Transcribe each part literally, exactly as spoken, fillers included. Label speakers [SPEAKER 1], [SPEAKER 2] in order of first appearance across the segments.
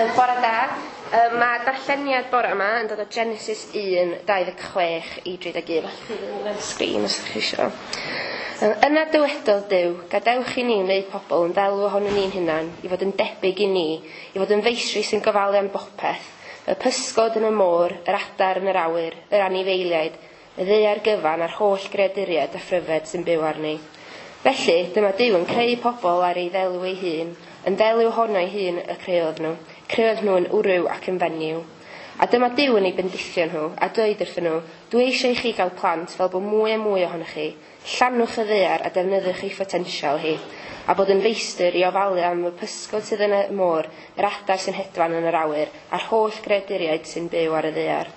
[SPEAKER 1] Uh, bore da. Uh, mae darlleniad bore yma yn dod o Genesis un, dau ddeg chwech i dri deg un. Allwch chi fynd ar y sgrin os ydych chi isio. Uh, yna dywedodd Duw, gadewch i ni wneud pobl yn ddelw ohonon ni'n hunan, i fod yn debyg i ni, i fod yn feistri sy'n gofalu am bopeth, y pysgod yn y môr, yr adar yn yr awyr, yr anifeiliaid, y ddaear gyfan a'r holl greaduriaid a phryfed sy'n byw arni. Felly, dyma Duw yn creu pobl ar ei ddelw ei hun, yn ddelw ohono ei hun y creodd nhw, creodd nhw yn wryw ac yn fenyw. A dyma Duw yn ei bendithio nhw, a dweud wrthyn nhw, dwi eisiau i chi gael plant fel bod mwy a mwy ohonoch chi, llanwch y ddaear a defnyddiwch ei photensial hi, a bod yn feistr i ofalu am y pysgod sydd yn y môr, yr adar sy'n hedfan yn yr awyr, a'r holl greaduriaid sy'n byw ar y ddaear.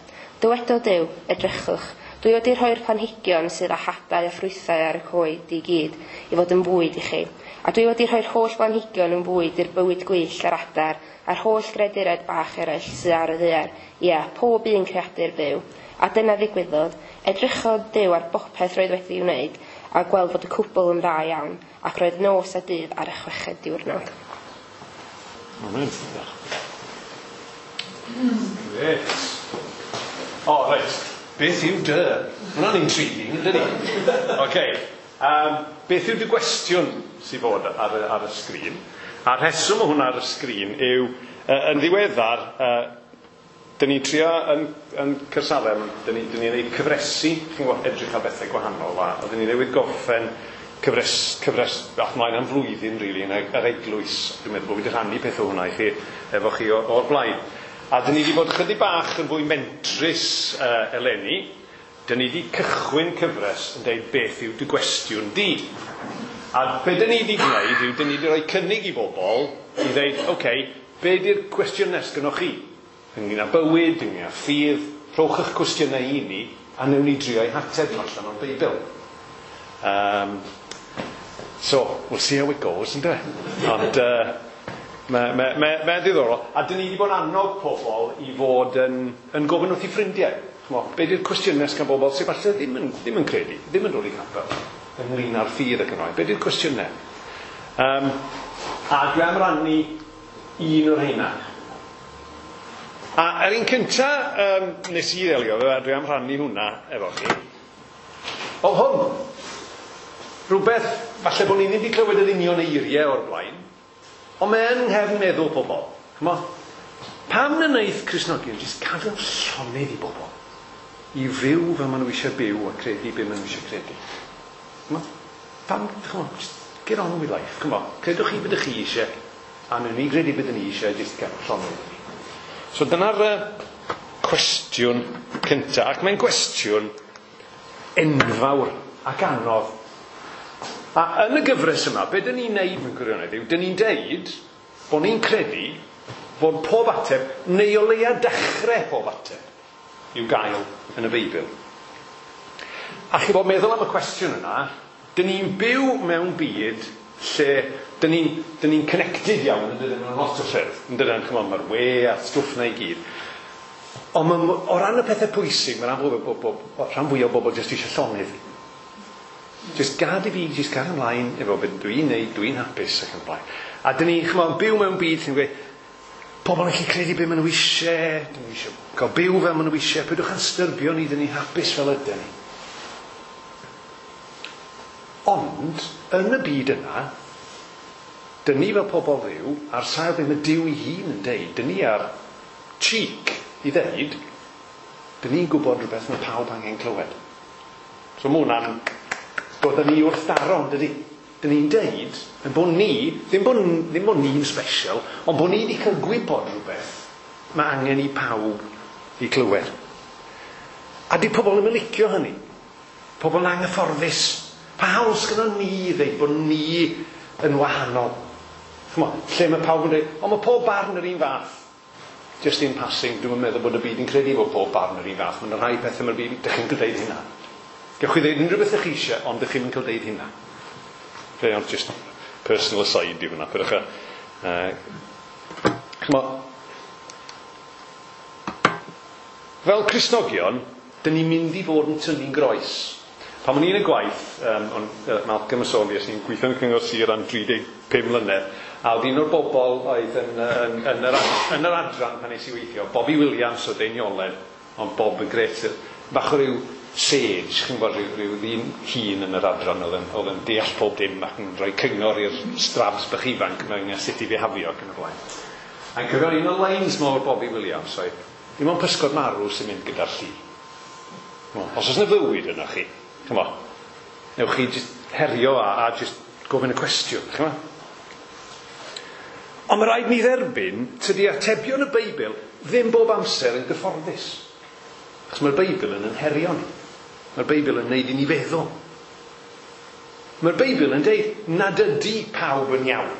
[SPEAKER 1] Dywedodd Duw, edrychwch, dwi wedi rhoi'r planhigion sydd â hadau a ffrwythau ar y coed i gyd i fod yn fwyd i chi. A dwi wedi rhoi'r holl blanhigion yn fwyd i'r bywyd gwyllt a'r adar a'r holl greaduriaid bach eraill sydd ar y ddaear. Ia, pob un creadur byw. A dyna ddigwyddodd. Edrychodd Duw ar bopeth roedd wedi'i wneud a gweld fod y cwbl yn dda iawn, ac roedd nos a dydd ar y chweched diwrnod.
[SPEAKER 2] Amen. Grêt. O, reit. Beth yw dy? Hwna'n intriguing, yndyn ni? Oce. Um, beth yw dy gwestiwn sydd fod ar y, ar y sgrin? A'r rheswm o hwnna ar y sgrin yw, uh, yn ddiweddar, uh, dyn ni'n trio yn, yn Caersalem, dyn ni'n ni neud cyfresu, chi'n gwybod, edrych ar bethau gwahanol, a dyn ni newydd gorffen cyfres, cyfres ath mlaen am flwyddyn, really, yn yr eglwys. Dwi'n meddwl bod fi wedi rhannu peth o hwnna i chi, efo chi o'r blaen. A dyn ni wedi bod chydig bach yn fwy mentrus uh, eleni. Dyn ni wedi cychwyn cyfres yn deud beth yw dy gwestiwn di. A be dyn ni wedi gwneud yw, dyn ni wedi rhoi cynnig i bobl i ddeud, oce, okay, be di'r cwestiwn nes gynnoch chi? Ynglyn â bywyd, ynglyn â ffydd, rhowch eich cwestiynau i ni, a newn ni drio eu hateb allan o'r Beibl. Um, so, we'll see how it goes, ynde? Ond, uh, Mae'n ma, ma, ma ddiddorol. A dyn ni wedi bod yn annog pobl i fod yn, yn gofyn wrth i ffrindiau. Chmo, be di'r cwestiynau gan bobl sydd falle ddim yn, ddim yn credu, ddim yn dod i capel, ynglyn â'r ffydd ac yn oed. Be di'r cwestiynau? Um, a dwi am rannu un o'r rheina. A yr un cynta um, nes i ddelio, dwi am rannu hwnna efo chi. O hwn! Rhywbeth, falle bod ni ddim wedi clywed yr union eiriau o'r blaen, ond mae yn nghefn meddwl pobl. Chmo, pam na wneith Cristnogion jyst gadael llonydd i bobl i fyw fel maen nhw eisiau byw a credu be maen nhw eisiau credu? Chmo, pam, chmo, just get on with life. Chmo, credwch chi beth ydych chi eisiau, a wnawn ni gredu beth ni eisiau, jyst gael llonydd i ni. So dyna'r uh, cwestiwn cyntaf, ac mae'n gwestiwn enfawr ac anodd. A yn y gyfres yma, be dyn ni'n neud mewn gwirionedd yw, dyn ni'n deud bod ni'n credu bod pob ateb, neu o leia dechrau pob ateb, i'w gael yn y Beibl. A chi bod meddwl am y cwestiwn yna, dyn ni'n byw mewn byd lle dyn ni'n dyn ni'n connected iawn, yn dydyn, mewn lot o ffyrdd. Yn dydyn, chymod, mae'r we a'r stwff na i gyd. Ond ma, o ran y pethau pwysig, mae rhan rhan fwyaf o bobl jyst eisiau llonydd. Just gad i fi, just gad ymlaen efo beth dwi'n neud, dwi'n hapus ac yn blaen. A dyn ni, chymod, byw mewn byd sy'n gweud, pobl yn gallu credu beth maen nhw eisiau, dyn nhw eisiau cael byw fel maen nhw eisiau, peidiwch â'n styrbio ni, dyn ni hapus fel ydyn ni. Ond, yn y byd yna, dyn ni fel pobl fyw, ar sail beth mae Duw ei hun yn deud, dyn ni ar cheek i ddeud, dyn ni'n gwybod rhywbeth mae pawb angen clywed. So mae hwnna'n dod â ni wrth daro, dydy? Dyn ni'n deud, yn bod ni, ddim bod, ddim bod ni'n special, ond bod ni wedi cael gwybod rhywbeth mae angen i pawb i clywed. A di pobl ddim yn licio hynny. Pobl yn anghyfforddus. Pa hawl sgynnon ni ddeud bod ni yn wahanol? Ch'mo, lle mae pawb yn dweud, ond mae pob barn yr un fath. Just in passing, dwi'm yn meddwl bod y byd yn credu bod pob barn yr un fath. Mae'n rhai pethau mae'r byd, dych chi'n cael deud hynna. Gewch chi ddeud unrhyw beth ych chi eisiau, ond dych chi'n cael deud hynna. Fe, ond just personal aside i hwnna. Peidiwch â, uh, ch'mo, fel Cristnogion, dyn ni'n mynd i fod yn tynnu'n groes. Pan o'n i'n y gwaith, um, on, uh, Malcolm yn sôn fi, es i'n gweithio yn y Cyngor Sir am dri deg pum mlynedd, A oedd un o'r bobl oedd yn, yn, yn, yr, yn yr adran pan nes i weithio, Bobby Williams o Deiniolen, ond Bob yn gret, bach o ryw sage, chi'n gwybod, rhyw, rhyw ddyn hun yn yr adran oedd yn, oedd yn deall pob dim ac yn rhoi cyngor i'r strabs bach ifanc mewn sut i fihafio ac yn y blaen. A'n cofio un o'r lines mawr Bobby Williams oedd, dim ond pysgod marw sy'n mynd gyda'r lli. Os oes yna fywyd yna chi, chymod, newch chi just herio a, a just gofyn y cwestiwn, chymod. Ond mae rhaid ni dderbyn, tydi atebion y Beibl ddim bob amser yn gyfforddus. Achos mae'r Beibl yn herio ni. Mae'r Beibl yn neud i ni feddwl. Mae'r Beibl yn deud nad ydy pawb yn iawn.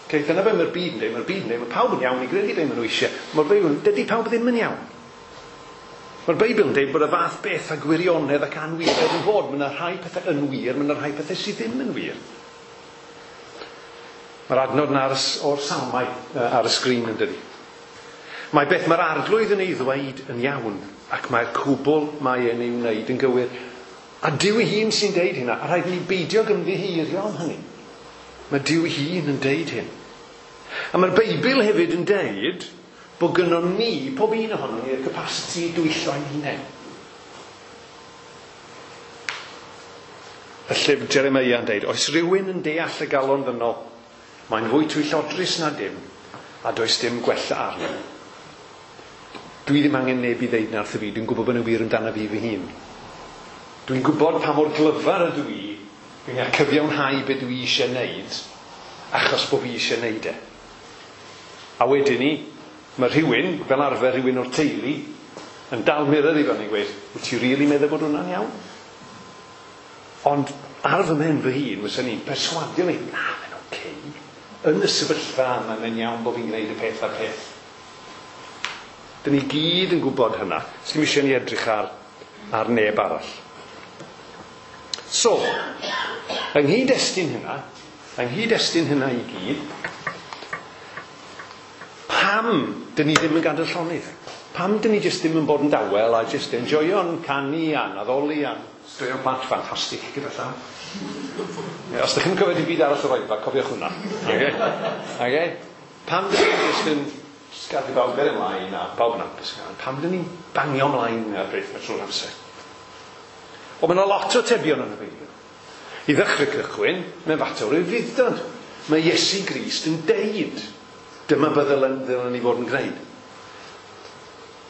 [SPEAKER 2] Okay, dyna be mae'r byd yn deud, mae'r byd yn deud, mae pawb yn iawn i gredu be maen nhw eisiau. Mae'r Beibl yn dydy pawb ddim yn iawn. Mae'r Beibl yn deud bod y fath beth a gwirionedd ac anwiredd yn fod. Mae yna rhai pethau yn wir, mae yna rhai pethau sydd ddim yn wir. Mae'r adnod yna o'r Salmau ar y sgrin yn dydi. Mae beth mae'r arglwydd yn ei ddweud yn iawn, ac mae'r cwbl mae e'n ei wneud yn gywir. A Duw ei hun sy'n deud hynna, a rhaid ni beidio ymddiheurio am hynny. Mae Duw ei hun yn deud hyn. A mae'r Beibl hefyd yn deud bod gynnon ni, pob un ohonon ni, y capacity i dwyllo ein hunain. Y llyfr Jeremiah yn deud, oes rhywun yn deall y galon ddynol, mae'n fwy twyllodrus na dim, a does dim gwella arno. Dwi ddim angen neb i ddeud na wrtho fi, dwi'n gwybod bod nhw'n wir amdano fi fy hun. Dwi'n gwybod pa mor glyfar ydw i, dwi'n gallu cyfiawnhau be dwi eisiau wneud, achos bod fi eisiau wneud e. A wedyn ni, mae rhywun, fel arfer rhywun o'r teulu, yn dal mirror i fyny yn gweud, wyt ti rili meddwl bod hwnna'n iawn? Ond ar fy mhen fy hun, fysa ni'n perswadio fi, na, mae'n oce. Yn y sefyllfa yma, mae'n iawn bod fi'n gwneud y peth a'r peth. Dyn ni gyd yn gwybod hynna. Sdim eisiau ni edrych ar, ar neb arall. So, yng nghyd-destun hynna, yng nghyd-destun hynna i gyd, pam dyn ni ddim yn gadael llonydd? Pam dyn ni jyst ddim yn bod yn dawel a jyst enjoyo'n canu a'n addoli a'n straeon plant ffantastig gyda llaw? Os ydych chi'n cofio dim byd arall o'r oedfa, cofiwch hwnna. Okay? Okay? Pam dyn ni jyst yn jyst gadw bawb gael ymlaen a bawb yn hapus? Pam dyn ni'n bangio ymlaen ar beth mae trwy'r amser? Wel, mae yna lot o atebion yn y Beibl. I ddechrau cychwyn, mae'n fater o ufudd-dod. Mae Iesu Grist yn deud, dyma be ddylen, ddylen ni fod yn gwneud.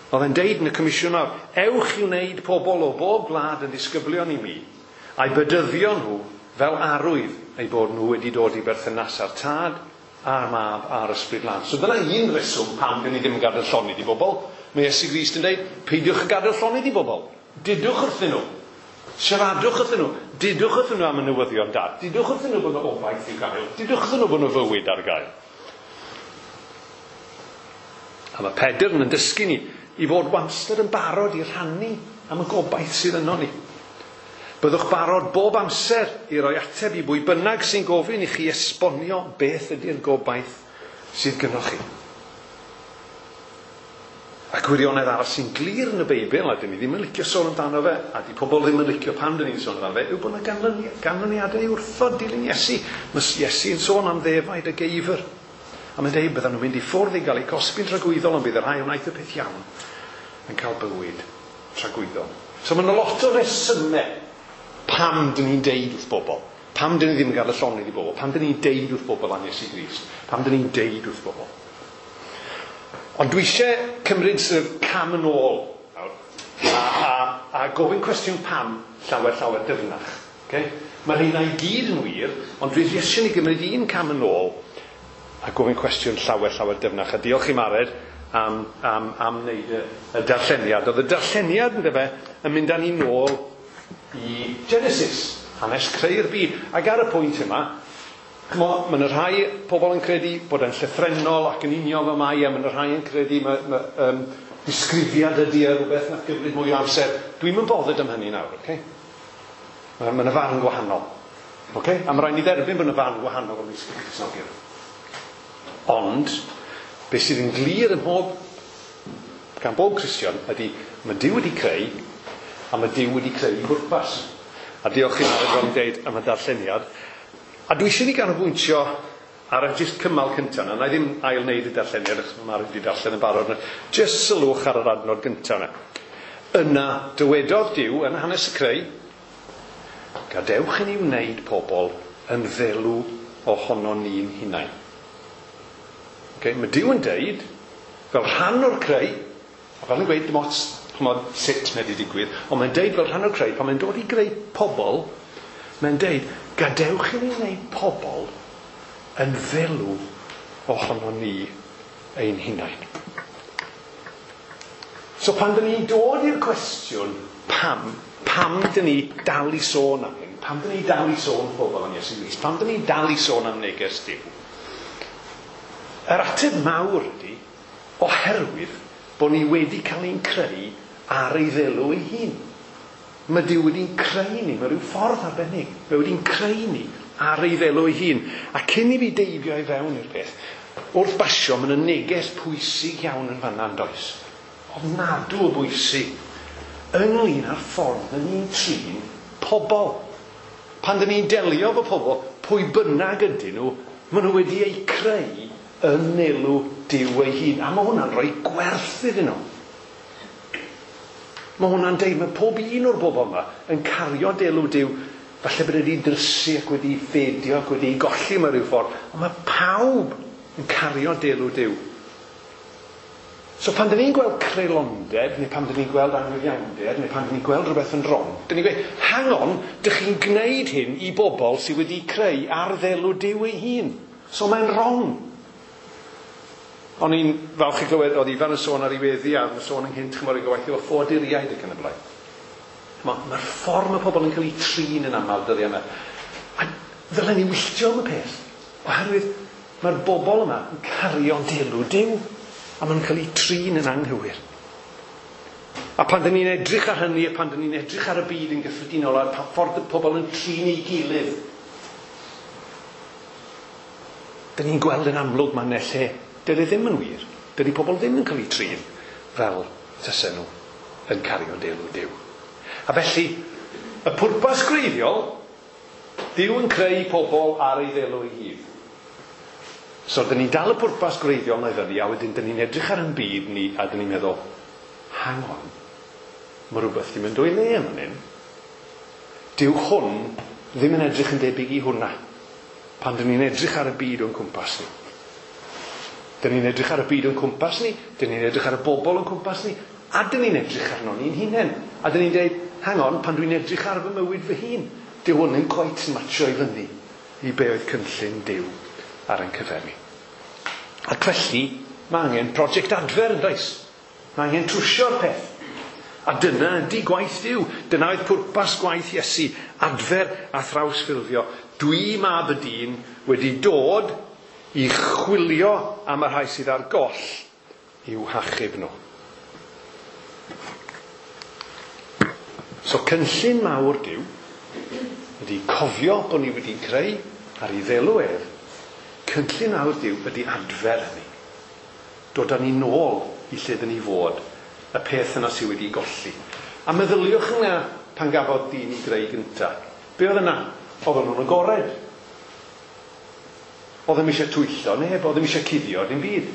[SPEAKER 2] Oedd e'n deud yn y comisiwn nawr, ewch i wneud pobl o bob gwlad yn ddisgyblion i mi, a'i bedyddio nhw fel arwydd eu bod nhw wedi dod i berthynas â'r Tad, a'r Mab, a'r Ysbryd Glân. So dyna un reswm pam dyn ni ddim yn gadael llonydd i bobl. Mae Iesu Grist yn deud, peidiwch yn gadael llonydd i bobl. Dudwch wrthyn nhw. Siaradwch wrthyn nhw. Dudwch wrthyn nhw am y newyddion da. Dudwch wrthyn nhw bod nhw obaith i'w gael. Dudwch wrthyn nhw bod nhw fywyd ar gael. A mae Pedr yn dysgu ni i fod wastad yn barod i rhannu am y gobaith sydd yno ni. Byddwch barod bob amser i roi ateb i bwy bynnag sy'n gofyn i chi esbonio beth ydy'r gobaith sydd gynnoch chi. A gwirionedd arall sy'n glir yn y Beibl, a dyn ni ddim yn licio sôn amdano fe, a di pobl ddim yn licio pan dyn ni'n sôn amdano fe, yw bod yna ganlyniadau i wrthod dilyn Iesu. Mae Iesu yn sôn am ddefaid y geifr. A mae'n deud byddan nhw'n mynd i ffwrdd i gael eu cosbi'n tragwyddol, ond bydd y rhai wnaeth y peth iawn yn cael bywyd tragwyddol. So mae yna lot o resymau pam dyn ni'n deud wrth bobl. Pam dyn ni ddim yn gadael llonydd i bobl. Pam dyn ni'n deud wrth bobl am Iesu Grist. Pam dyn ni'n deud wrth bobl. Ond dwi eisiau cymryd sort of cam yn ôl nawr, a, a, a gofyn cwestiwn pam llawer llawer dyfnach. Okay? Mae rheina i gyd yn wir, ond dwi eisiau ni gymryd un cam yn ôl a gofyn cwestiwn llawer llawer dyfnach. A diolch i Mared am, am, am wneud y, y darlleniad. Oedd y darlleniad yn dyfe yn mynd â ni nôl i Genesis, hanes creu'r byd. Ac ar y pwynt yma, mae yna rhai pobl yn credu bod e'n llythrennol ac yn union fel mae, a mae yna rhai yn credu mae, mae, um, disgrifiad ydy e rhywbeth nath gymryd mwy o amser. Dwi'm yn bothered am hynny nawr, okay? Mae yna farn gwahanol. Okay? A mae rhaid ni dderbyn bod yna farn gwahanol ymysg y Cristnogion. Ond, beth sydd yn glir ym mhob, gan bob Cristion ydy, mae Duw wedi creu, a mae Duw wedi creu i bwrpas. A diolch i Mared fel yn deud am y darlleniad. A dwi eisiau ni ganolbwyntio Ar y jyst cymal cyntaf yna, na i ddim ail wneud y darlleniad achos mae Mari wedi darllen yn barod. Jyst sylwch ar yr adnod gyntaf yna. Yna dywedodd Duw yn hanes y creu, gadewch i ni wneud pobl yn ddelw ohono ni'n hunain. Okay, mae Duw yn deud, fel rhan o'r creu, a fel yn gweud dim ots ch'mod, sut mae wedi digwydd, ond mae'n deud fel rhan o'r creu, pan mae'n dod i greu pobl, mae'n deud, gadewch i ni wneud pobl yn ddelw ohono ni ein hunain. So pan dyn ni'n dod i'r cwestiwn pam, pam dyn ni dal i sôn am hyn, pam dyn ni dal i sôn pobl am Iesu Grist, pam dyn ni dal i sôn am neges Duw, yr ateb mawr ydy, oherwydd bod ni wedi cael ein creu ar ei ddelw ei hun. Mae Duw wedi'n creu ni mewn rhyw ffordd arbennig. Mae wedi'n creu ni ar ei ddelw ei hun. A cyn i fi deifio i fewn i'r peth, wrth basio, mae yna neges pwysig iawn yn fanna, yn does? Ofnadw o bwysig ynglyn â'r ffordd dyn ni'n trin pobl. Pan dyn ni'n delio efo pobl, pwy bynnag ydyn nhw, maen nhw wedi eu creu yn nelw Duw ei hun. A mae hwnna'n rhoi gwerth iddyn nhw. Mae hwnna'n deud, mae pob un o'r bobl yma yn cario delw Duw, falle bod wedi drysu ac wedi ffedio ac wedi golli mewn rhyw ffordd, ond mae pawb yn cario delw Duw. So pan dyn ni'n gweld creulondeb, neu pan dyn ni'n gweld anghyfiawnder, neu pan dyn ni'n gweld rhywbeth yn wrong, dyn ni'n gweud, hang on, dych chi'n gwneud hyn i bobl sydd wedi creu ar ddelw Duw ei hun. So mae'n wrong. O'n i'n falch i glywed, oedd Ifan yn sôn ar ei weddi a yn sôn ynghynt, chymod, i gywaith efo ffoaduriaid ac yn y blaen. Mae'r ffordd mae pobl yn cael eu trin yn aml dyddiau yma. A ddylen ni wylltio am y peth, oherwydd mae'r bobl yma yn cario delw Duw, a maen nhw'n cael eu trin yn anghywir. A pan dyn ni'n edrych ar hynny, a pan dyn ni'n edrych ar y byd yn gyffredinol, a'r ffordd y pobl yn trin ei gilydd, dyn ni'n gweld yn amlwg mae'n lle dydy ddim yn wir. Dydy pobl ddim yn cael eu trin fel tysen nhw yn cario delw Duw. A felly, y pwrpas gwreiddiol, Duw yn creu pobl ar ei ddelw ei hun. So, dyn ni'n dal y pwrpas gwreiddiol na i fyny, a wedyn dyn ni'n edrych ar ein byd ni, a dyn ni'n meddwl, hang on, mae rhywbeth ddim yn dwy le yn fan hyn. Dyw hwn ddim yn edrych yn debyg i hwnna, pan dyn ni'n edrych ar y byd o'n cwmpas ni. Dyn ni'n edrych ar y byd o'n cwmpas ni, dyn ni'n edrych ar y bobl o'n cwmpas ni, a dyn ni'n edrych arno ni'n hunain. A dyn ni'n dweud, hang on, pan dwi'n edrych ar fy mywyd fy hun, dyw hwn ddim cweit yn matcho i fyny i be oedd cynllun Duw ar ein cyfer ni. Ac felly, mae angen prosiect adfer yn does? Mae angen trwsio'r peth. A dyna ydy gwaith Duw. Dyna oedd pwrpas gwaith Iesu, adfer a thrawsffurfio. Dwi mab y dyn wedi dod i chwilio am y rhai sydd ar goll i'w hachub nhw. So cynllun mawr Duw ydy cofio bod ni wedi creu ar ei ddelw ef. Cynllun mawr Duw ydy adfer hynny. Dod â ni nôl i lle dyn ni fod, y peth yna sydd wedi golli. A meddyliwch yna pan gafodd dyn ei greu gynta. Be oedd yna? Oedden nhw'n agored. Oedd ddim eisiau twyllo neb, oedd ddim eisiau cuddio dim byd.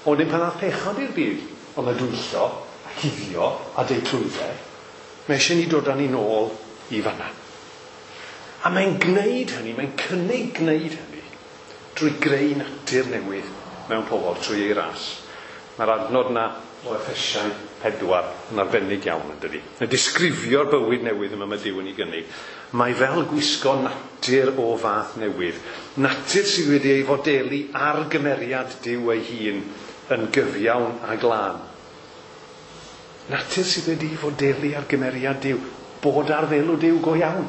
[SPEAKER 2] Ond dim pan aeth pechod i'r byd, oedd y dwyllo, a cuddio, a deud trwydde. Mae eisiau ni dod â ni nôl i fanna. A mae'n gwneud hynny, mae'n cynnig gwneud hynny, drwy greu natur newydd mewn pobl, trwy ei ras. Mae'r adnod yna o Effesiaid pedwar yn arbennig iawn, yn dydi. Yn disgrifio'r bywyd newydd yma mae Duw yn ei gynnig. Mae fel gwisgo natur o fath newydd. Natur sydd wedi ei fodelu ar gymeriad Duw ei hun yn gyfiawn a glân. Natur sydd wedi ei fodelu ar gymeriad Duw, bod ar ddelw Duw go iawn.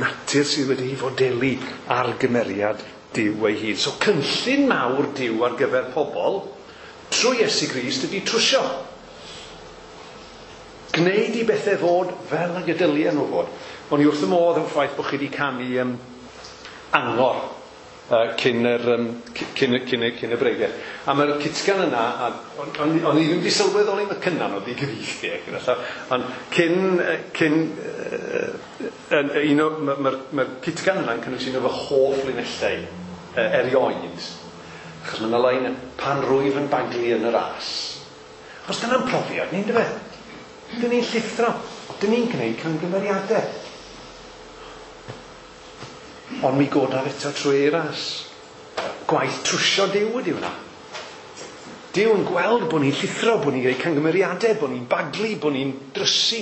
[SPEAKER 2] Natur sydd wedi ei fodelu ar gymeriad Duw ei hun. So cynllun mawr Duw ar gyfer pobl trwy Iesu Grist ydy trwsio. Gwneud i bethau fod fel ag y dylia nhw fod. O'n i wrth y modd yn ffaith bod chi wedi canu um, angor uh, cyn, yr, um, cyn, cyn, cyn y bregeth. A mae'r cytgan yna, a, o'n, o'n, o'n i ddim wedi sylweddoli mae cynnan oedd i gyfieithu, gyda llaw, ond cyn, cyn uh, un o, mae'r ma, ma cytgan yna'n cynnwys un o fy hoff linellau. erioed. Achos mae yna lein, pan rwyf yn baglu yn y ras. Achos dyna'n profiad ni'n dyfe. Dyn ni'n llithro. Dyn ni'n gwneud camgymeriadau. Ond mi godaf eto trwy ei ras. Gwaith trwsio Duw ydy hwnna. Duw yn gweld bod ni'n llithro, bod ni'n gwneud camgymeriadau, bod ni'n baglu, bod ni'n drysu,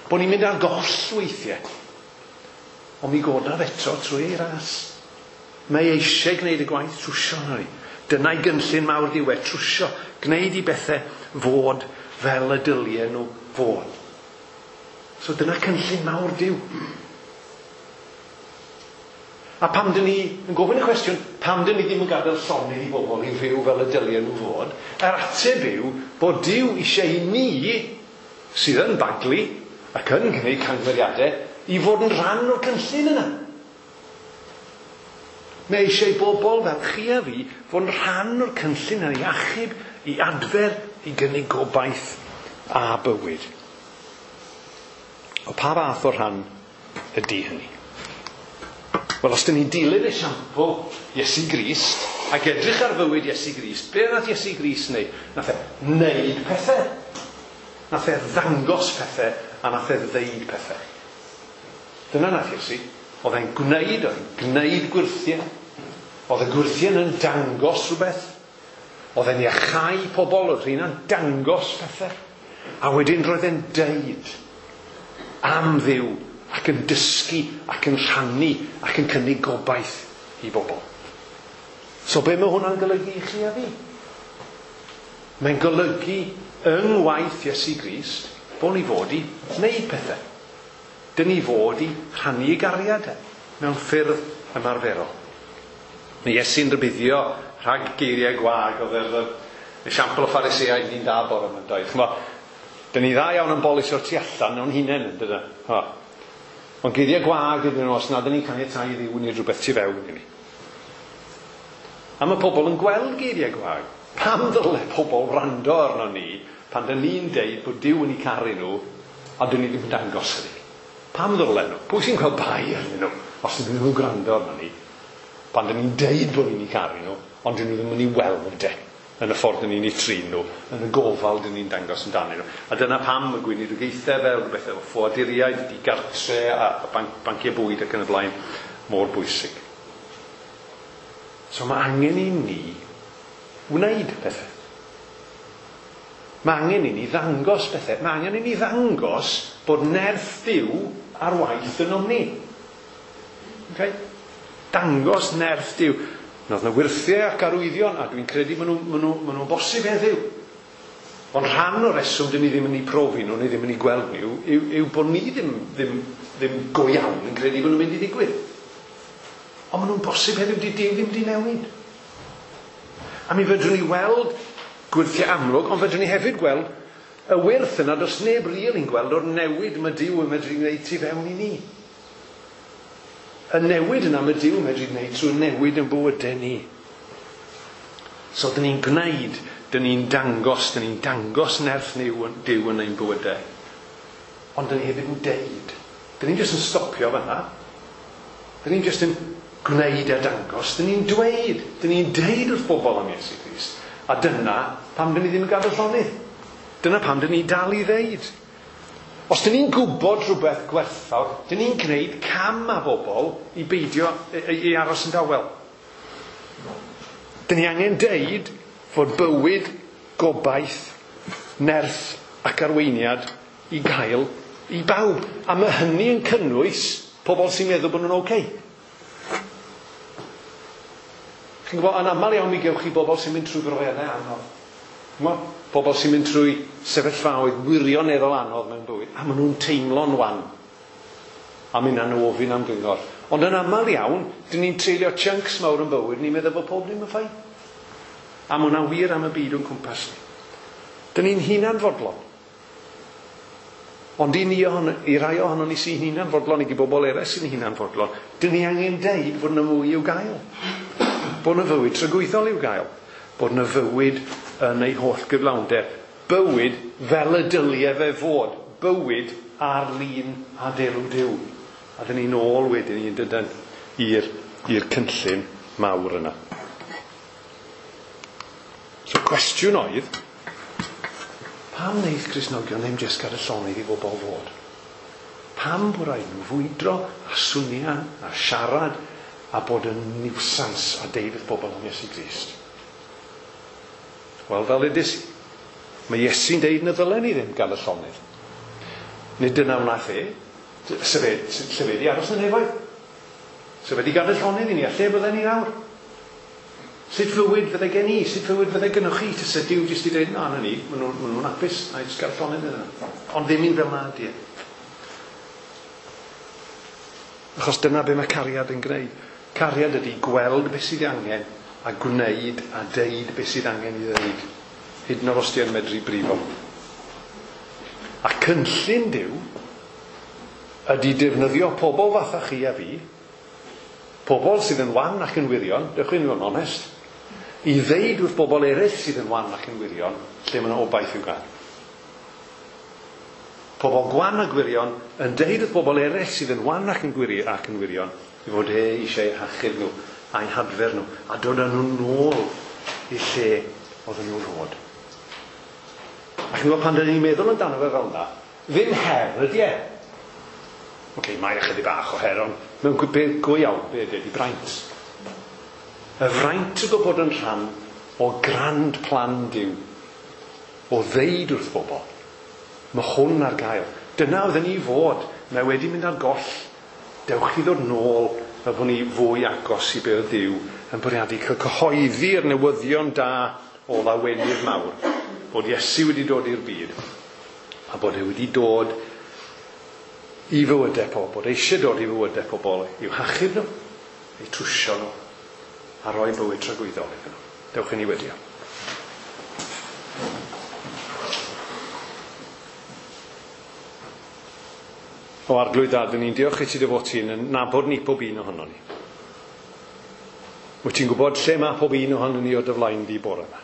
[SPEAKER 2] bod ni'n mynd ar goll weithiau. Ond mi godaf eto trwy ei ras. Mae eisiau gwneud y gwaith trwsio yna ni. Dyna'i gynllun mawr Duw e, trwsio, gwneud i bethau fod fel y dylien nhw fod. So dyna cynllun mawr Duw. A pam dyn ni yn gofyn y cwestiwn, pam dyn ni ddim yn gadael llonydd i bobl i fyw fel y dylien nhw fod, yr ateb yw bod Duw eisiau i ni, sydd yn baglu ac yn gwneud camgymeriadau, i fod yn rhan o'r cynllun yna. Mae eisiau i bobl fel chi a fi fod yn rhan o'r cynllun yna i achub, i adfer, i gynnig gobaith a bywyd. O pa fath o rhan ydy hynny? Wel, os dyn ni'n dilyn esiampl Iesu Grist ac edrych ar fywyd Iesu Grist, be nath Iesu Grist wneud? Nath e wneud pethau. Nath e ddangos pethau a nath e ddeud pethau. Dyna nath Iesu. Oedd e'n gwneud, oedd e'n gwneud gwyrthiau. Oedd y gwyrthiau yn dangos rhywbeth. Oedd e'n iachau pobl, oedd rheina'n dangos pethau. A wedyn roedd e'n deud am Dduw ac yn dysgu ac yn rhannu ac yn cynnig gobaith i bobl. So be mae hwnna'n golygu i chi a fi? Mae'n golygu yng ngwaith Iesu Grist bod ni fod i wneud pethau. Dyn ni fod i rhannu ei gariad mewn ffyrdd ymarferol. Mae Iesu'n rhybuddio rhag geiriau gwag, oedd yr esiampl o Phariseaid ni'n da bore yma'n dweud. Ch'mo, dyn ni dda iawn yn bolisio tu allan o'n hunain, yn dydyn? Ha. Ond geiriau gwag ydyn nhw os nad ydyn ni'n caniatáu i Dduw wneud rhywbeth tu fewn i ni. A mae pobl yn gweld geiriau gwag. Pam ddyle pobl wrando arno ni pan dyn ni'n deud bod Duw yn eu caru nhw a dyn ni ddim yn dangos hynny? Pam ddyle nhw? Pwy sy'n cael bai arnyn nhw os ydyn nhw'n gwrando arno ni pan dyn ni'n deud bod ni'n eu caru nhw ond dyn nhw ddim yn ei weld e yn y ffordd dyn ni'n eu trin nhw, yn y gofal dyn ni'n dangos amdanyn nhw. A dyna pam y gweinidogaethau fel rhywbeth efo ffoaduriaid, digartre a banc, banciau bwyd ac yn y blaen mor bwysig. So mae angen i ni wneud pethau. Mae angen i ni ddangos pethau. Mae angen i ni ddangos bod nerth Duw ar waith ynom ni. Okay? Dangos nerth Duw. Nodd yna wyrthiau ac arwyddion, a dwi'n credu maen nhw'n ma nhw, ma nhw bosib heddiw. Ond rhan o'r reswm dyn ni ddim yn eu profi nhw, ni ddim yn eu gweld nhw, yw, yw bod ni ddim, ddim, ddim go iawn yn credu bod nhw'n mynd i ddigwydd. Ond maen nhw'n bosib heddiw, di Duw ddim di newid. A mi fedrwn ni weld gwyrthiau amlwg, ond fedrwn ni hefyd gweld y wyrth yna, does neb rili'n gweld o'r newid mae Duw yn medru gwneud tu fewn i ni. Y newid yna mae Duw yn medru gwneud trwy newid yn bywydau ni. So, dyn ni'n gwneud, dyn ni'n dangos, dyn ni'n dangos nerth Duw yn ein bywydau. Ond dyn ni hefyd yn deud. Dyn ni'n jyst yn stopio fan'na. Dyn ni'n jyst yn gwneud a dangos. Dyn ni'n dweud. Dyn ni'n deud wrth bobl am Iesu Grist. A dyna pam dyn ni ddim yn gadael llonydd. Dyna pam dyn ni dal i ddeud. Os dyn ni'n gwybod rhywbeth gwerthfawr, dyn ni'n gwneud cam â bobl i beidio i, i aros yn dawel. Dyn ni angen deud fod bywyd, gobaith, nerth ac arweiniad i gael i bawb. A mae hynny yn cynnwys pobl sy'n meddwl bod nhw'n oce. Chi'n gwybod, yn aml iawn mi gewch chi bobl sy'n mynd trwy brofiadau anodd. Ch'mo'? Pobl sy'n mynd trwy sefyllfaoedd wirioneddol anodd mewn bywyd, a maen nhw'n teimlo'n wan. A mynd nhw ofyn am gyngor. Ond yn aml iawn, dyn ni'n treulio chunks mawr yn bywyd, ni'n meddwl bod pob ddim yn fine. A mae hwnna'n wir am y byd o'n cwmpas ni. Dyn ni'n hunanfodlon. Ond i, ni ohon, i rai ohonon ni sy'n hunanfodlon, i bobl eraill sy'n hunanfodlon, dyn ni angen deud fod yna mwy i'w gael. Bod yna fywyd tragwyddol i'w gael. Bod yna fywyd yn ei holl gyflawnder. Bywyd fel y dylie fe fod. Bywyd ar lun a delw Duw. A dyn ni'n ôl wedyn ni'n dydyn i'r, i'r cynllun mawr yna. So cwestiwn oedd, pam wneith Cristnogion ddim jyst gadael llonydd i bobl fod? Pam bod rhaid nhw fwydro a swnian a siarad a bod yn niwsans a deud wrth bobl am Iesu Grist? Wel, fel ydys i, mae Iesu'n deud na ddylen ni ddim gael y llonydd. Nid dyna wnaeth e, sef e, lle fe di aros yn nefoedd. Sef e di gadael llonydd i ni, a lle bydden ni nawr? Sut fywyd fydde gen i? Sut fywyd fydde gynnwch chi? Tase Duw jyst i dweud, na, na ni, maen nhw'n ma nhw hapus, a jyst gael llonydd iddyn nhw. Ond ddim un fel na ydy e. Achos dyna be mae cariad yn gwneud. Cariad ydy gweld beth sydd angen a gwneud a deud beth sydd angen i ddeud. Hyd yn oed os ti yn medru brifo. A cynllun Duw ydy defnyddio pobl fatha chi a fi, pobl sydd yn wan ac yn wirion, dewch chi'n fod yn onest, i ddeud wrth bobl eraill sydd yn wan ac yn wirion, lle mae yna obaith i'w gael. Pobl gwan a gwirion yn deud wrth bobl eraill sydd yn wan ac yn gwiri ac yn wirion, i fod e eisiau hachub nhw a'i hadfer nhw, a dod â nhw nôl i lle oedden nhw'n fod. Ac yn gwybod pan dyn ni'n meddwl amdano fe fel yna, ddim her ydy e. Oce, okay, mae ychydig bach o her, ond mewn beth go iawn, be ydy, ydy braint. Y fraint o bod yn rhan o grand plan Duw, o ddeud wrth bobl, mae hwn ar gael. Dyna oedden ni fod, mae wedi mynd ar goll. Dewch i ddod nôl fel bod ni fwy agos i be oedd Duw yn bwriadu cael cyhoeddi'r newyddion da o lawenydd mawr, bod Iesu wedi dod i'r byd, a bod e wedi dod i fywydau pobl, bod eisiau dod i fywydau pobl i'w hachub nhw, eu trwsio nhw, a rhoi bywyd tragwyddol iddyn nhw. Dewch i ni wedio. O Arglwydd Dad, ni'n diolch i ti dy fod ti'n nabod ni pob un ohono ni. Wyt ti'n gwybod lle mae pob un ohono ni o dy flaen di bore yma.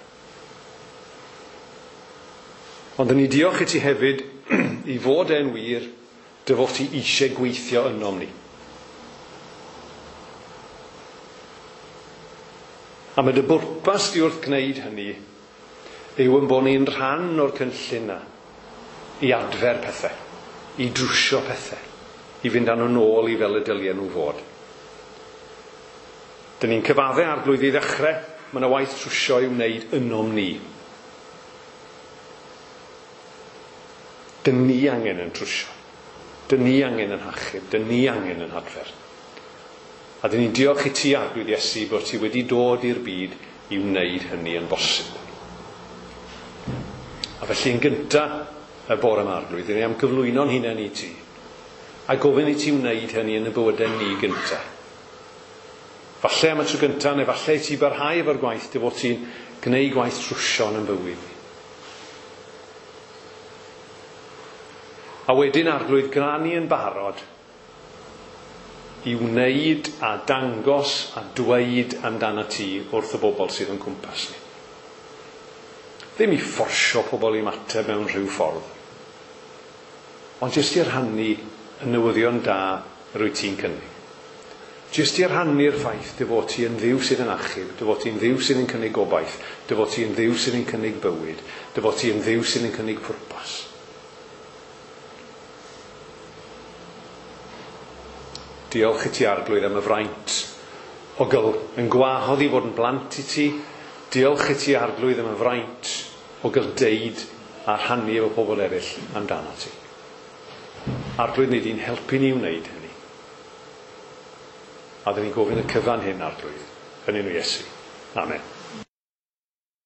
[SPEAKER 2] Ond ni diolch i ti hefyd i fod e'n wir dy fod ti eisiau gweithio ynom ni. A mae dy bwrpas di wrth gwneud hynny yw yn bod ni'n rhan o'r cynllun na i adfer pethau, i drwsio pethau, i fynd â nhw nôl i fel y dylien nhw fod. Dyn ni'n cyfadde Arglwydd i ddechrau, mae yna waith trwsio i'w wneud ynom ni. Dyn ni angen yn trwsio. Dyn ni angen yn hachub. Dyn ni angen yn hadfer. A dyn ni'n diolch i ti, Arglwydd Iesu, bod ti wedi dod i'r byd i wneud hynny yn bosib. A felly yn gynta y bore yma, Arglwydd, dyn ni am gyflwyno'n hunain i ti. A gofyn i ti wneud hynny yn y bywydau ni gynta. Falle am y tro gynta, neu falle i ti barhau efo'r gwaith dy fod ti'n gwneud gwaith trwsio yn bywyd ni. A wedyn, Arglwydd, gwna ni yn barod i wneud a dangos a dweud amdano ti wrth y bobl sydd yn cwmpas ni. Ddim i fforsio pobl i ymateb mewn rhyw ffordd, ond jyst i rhannu y newyddion da yr wyt ti'n cynnig. Jyst i rhannu'r ffaith dy fod ti yn Dduw sydd yn achub, dy fod ti'n Dduw sydd yn cynnig gobaith, dy fod ti'n Dduw sydd yn cynnig bywyd, dy fod ti'n Dduw sydd yn cynnig pwrpas. Diolch i ti, Arglwydd, am y fraint o gael yn gwahodd i fod yn blant i ti. Diolch i ti, Arglwydd, am y fraint o gael deud a rhannu efo pobl eraill amdano ti. Arglwydd, ni di'n helpu ni wneud hynny. A dyn ni'n gofyn y cyfan hyn, Arglwydd, yn enw Iesu. Amen.